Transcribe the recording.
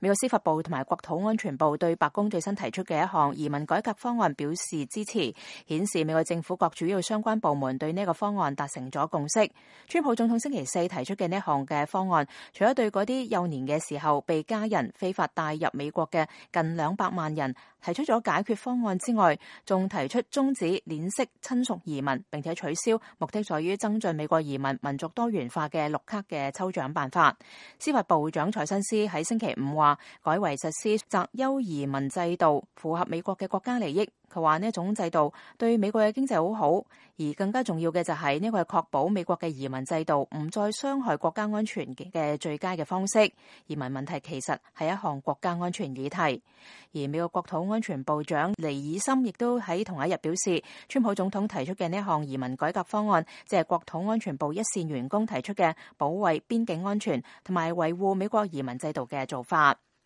美國司法部同埋國土安全部對白宮最新提出嘅一項移民改革方案表示支持，顯示美國政府各主要相關部門對呢個方案達成咗共識。川普總統星期四提出嘅呢項嘅方案，除咗對嗰啲幼年嘅時候被家人非法帶入美國嘅近200萬人提出咗解決方案之外，仲提出終止鏈式親屬移民，並且取消目的在於增進美國移民民族多元化嘅綠卡嘅抽獎辦法。司法部長蔡新斯喺星期五話，改為實施擇優移民制度，符合美國嘅國家利益。佢話呢一種制度對美國嘅經濟好好，而更加重要嘅就係呢個係確保美國嘅移民制度唔再傷害國家安全嘅最佳嘅方式。移民問題其實係一項國家安全議題。而美國國土安全部長尼爾森亦都喺同一日表示，川普總統提出嘅呢一項移民改革方案，即係國土安全部一線員工提出嘅保衛邊境安全同埋維護美國移民制度嘅做法。